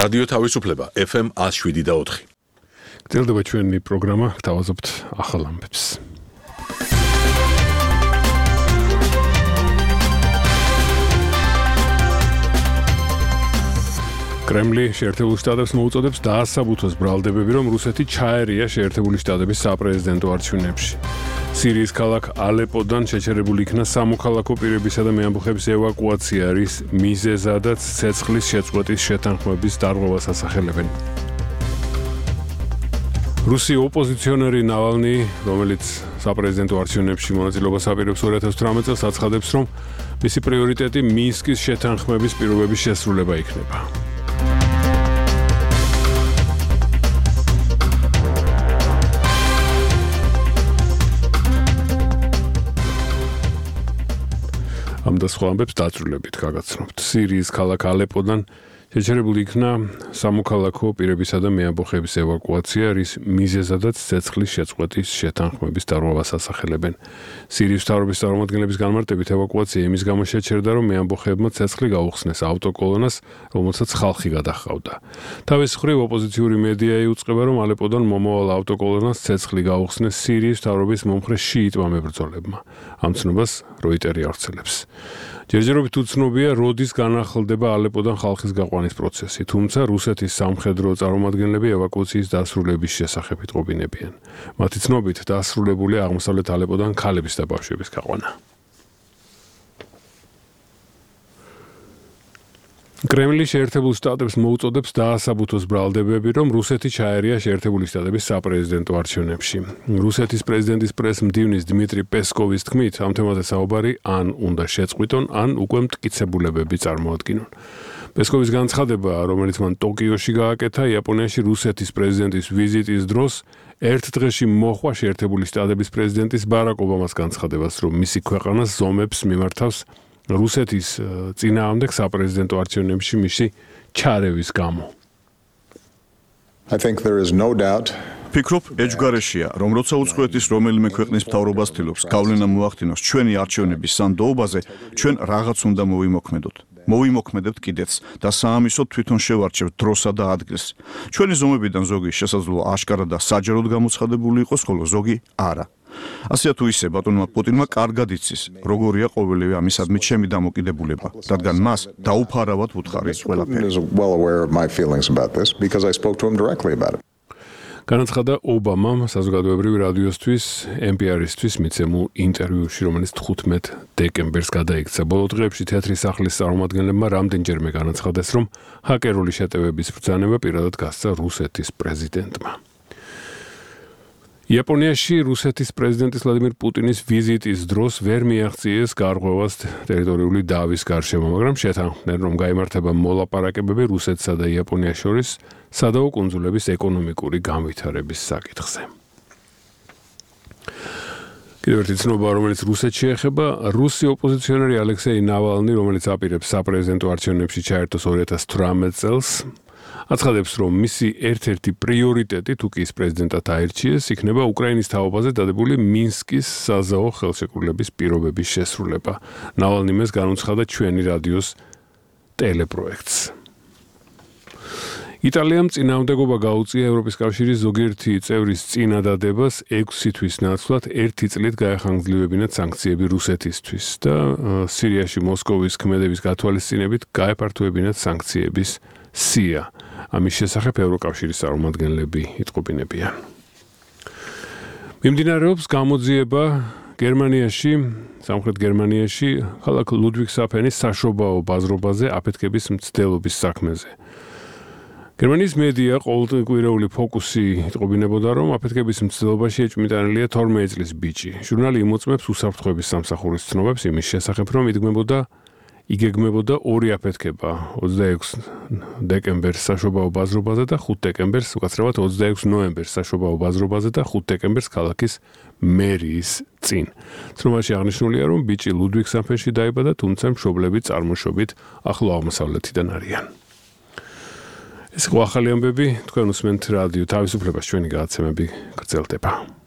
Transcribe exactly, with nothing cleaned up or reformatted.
რადიო თავისუფლება F M one oh seven და four. გრძელდება ჩვენი პროგრამა, გთავაზობთ ახალ ამბებს. კრემლი შეერთებულ შტატებს მოუწოდებს დაასაბუთოს ბრალდებები, რომ რუსეთი ჩაერია შეერთებული შტატების საპრეზიდენტო არჩევნებში. სირიის ქალაქ ალეპოდან შეჩერებული იქნა სამოქალაქო პირებისა და მეამბოხების ევაკუაცია, რის მიზეზადაც ცეცხლის შეწყვეტის შეთანხმების დარღვევას ასახელებენ. რუსი ოპოზიციონერი ნავალნი, რომელიც საპრეზიდენტო არჩევნებში მონაწილეობას აპირებს two thousand eighteen წელს, აცხადებს, რომ მისი პრიორიტეტი მინსკის შეთანხმების პირობების შესრულება იქნება. ამ და სხვა ამბებს დაწვრილებით გაგაცნობთ. სირიის ქალაქ ალეპოდან შეჩერებული იქნა სამოქალაქო პირებისა და მეამბოხების ევაკუაცია, რის მიზეზადაც ცეცხლის შეწყვეტის შეთანხმების დარღვევას ასახელებენ. სირიის მთავრობის წარმომადგენლების განმარტებით ევაკუაცია იმის გამო შეჩერდა, რომ მეამბოხებმა ცეცხლი გაუხსნეს ავტოკოლონას, რომელსაც ხალხი გადაჰყავდა. თავის მხრივ ოპოზიციური მედია იუწყება, რომ ალეპოდან მომავალ ავტოკოლონას ცეცხლი გაუხსნეს სირიის მთავრობის მომხრე შიიტმა მებრძოლებმა. ამ ცნობას როიტერი ავრცელებს. ჯერჯერობით უცნობია, როდის განახლდება ალეპოდან ხალხის გაყვანის პროცესი, თუმცა რუსეთის სამხედრო წარმომადგენლები ევაკუაციის დასრულების შესახებ იტყობინებიან. მათი ცნობით დასრულებულია აღმოსავლეთ ალეპოდან ქალების და ბავშვების გაყვანა. კრემლი შეერთებულ შტატებს მოუწოდებს დაასაბუთოს ბრალდებები, რომ რუსეთი ჩაერია შეერთებული შტატების საპრეზიდენტო არჩევნებში. რუსეთის პრეზიდენტის პრეს-მდივნის დმიტრი პესკოვის თქმით, ამ თემაზე საუბარი ან უნდა შეწყვიტონ, ან უკვე მტკიცებულებები წარმოადგინონ. პესკოვის განცხადება, რომელიც მან ტოკიოში გააკეთა, იაპონიაში რუსეთის პრეზიდენტის ვიზიტის დროს, ერთ დღეში მოჰყვა შეერთებული შტატების პრეზიდენტის ბარაკ ობამას განცხადებას, რომ მისი ქვეყანა ზომებს მიმართავს რუსეთის წინააღმდეგ საპრეზიდენტო არჩევნებში მისი ჩარევის გამო. I think there is no doubt. ფიქრობ, ეჯგარეშია, რომ როცა უცხოეთის რომელიმე ქვეყნის მთავრობა ცდილობს გავლენა მოახდინოს ჩვენი არჩევნების სანდოობაზე, ჩვენ რაღაც უნდა მოვიმოქმედოთ. მოვიმოქმედებთ კიდეც და საამისოდ თვითონ შევარჩევთ დროსა და ადგილს. ჩვენი ზომებიდან ზოგი შესაძლოა აშკარა და საჯაროდ გამოცხადებული იყოს, ხოლო ზოგი არა. ასეა თუ ისე ბატონმა პუტინმა კარგად იცის, როგორია ყოველივე ამისადმი ჩემი დამოკიდებულება, რადგან მას დაუფარავად ვუთხარი ყველაფერი. განაცხადა ობამამ საზოგადოებრივი რადიოსთვის N P R-ისთვის მიცემულ ინტერვიუში, რომელიც თხუთმეტ დეკემბერს გადაიქცა. ბოლო დღეებში თეატრის სახლის წარმომადგენლებმა რამდენჯერმე განაცხადეს, რომ ჰაკერული შეტევების ბრძანება პირადად გასცა რუსეთის პრეზიდენტმა. იაპონიაში რუსეთის პრეზიდენტის ვლადიმირ პუტინის ვიზიტის დროს ვერ მიაღწიეს გარღვევას ტერიტორიული დავის გარშემო, მაგრამ შეთანხმდნენ, რომ გაიმართება მოლაპარაკებები რუსეთსა და იაპონიას შორის სადავო კუნძულების ეკონომიკური განვითარების საკითხზე. კიდევ ერთი ცნობა, რომელიც რუსეთში ეხება, რუსი ოპოზიციონერი ალექსეი ნავალნი, რომელიც აპირებს საპრეზიდენტო არჩევნებში ჩაერთოს two thousand eighteen წელს, აცხადებს, რომ მისი ერთ-ერთი პრიორიტეტი, თუ კი ის პრეზიდენტად აირჩიეს, იქნება უკრაინის თაობაზე დადებული მინსკის საზავო ხელშეკრულების პირობების შესრულება. ნავალნი მეს განუცხადა ჩვენი რადიოს ტელეპროექტს. იტალიამ წინააღმდეგობა გაუწია ევროპის კავშირის ზოგიერთი წევრის წინადადებას ექვსი თვის ნაცვლად ერთი წლით გაეხანგრძლივებინათ სანქციები რუსეთისთვის და სირიაში მოსკოვის ქმედების გათვალისწინებით გაეფართოებინათ სანქციების სია. ამის შესახებ ევროკავშირის წარმომადგენლები იტყობინებიან. მიმდინარეობს გამოძიება გერმანიაში, სამხრეთ გერმანიაში, ქალაქ ლუდვიგსჰაფენის საშობაო ბაზრობაზე აფეთქების მცდელობის საქმეზე. გერმანიის მედია ყოველკვირეული ფოკუსი იტყობინებოდა, რომ აფეთქების მცდელობაში ეჭვმიტანილია თორმეტი წლის ბიჭი. ჟურნალი იმოწმებს უსაფრთხოების სამსახურის ცნობებს იმის შესახებ, რომ იდგმებოდა იგეგმებოდა ორი აფეთქება ოცდაექვსი დეკემბერს საშობაო ბაზრობაზე და ხუთი დეკემბერს, უკაცრავად ოცდაექვსი ნოემბერს საშობაო ბაზრობაზე და ხუთი დეკემბერს ქალაქის მერიის წინ. ცნობაში აღნიშნულია, რომ ბიჭი ლუდვიგსჰაფენში დაიბადა, თუმცა მშობლები წარმოშობით ახლო აღმოსავლეთიდან არიან. ეს იყო ახალი ამბები, თქვენ უსმენთ რადიო თავისუფლებას, ჩვენი გადაცემები გრძელდება.